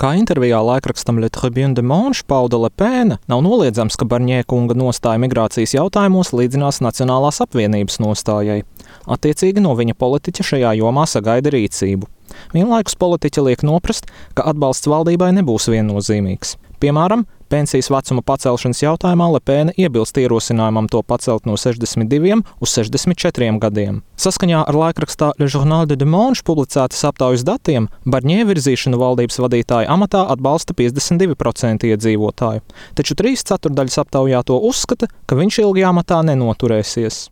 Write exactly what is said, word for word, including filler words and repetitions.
Kā intervijā laikrakstam Le Tribune de Manche pauda Le Pen, nav noliedzams, ka Barņē kunga nostāja migrācijas jautājumos līdzinās Nacionālās apvienības nostājai. Attiecīgi no viņa politiķa šajā jomā sagaida rīcību. Vienlaikus politiķa liek noprast, ka atbalsts valdībai nebūs viennozīmīgs. Piemēram, pensijas vecuma pacelšanas jautājumā Le Pen iebilst ierosinājumam to pacelt no sešdesmit diviem uz sešdesmit četriem gadiem. Saskaņā ar laikrakstā Le Journal de Dimanche publicētas aptaujas datiem, Barņē virzīšanu valdības vadītāja amatā atbalsta piecdesmit divi procenti iedzīvotāju, taču trīs ceturdaļas aptaujāto uzskata, ka viņš ilgi amatā nenoturēsies.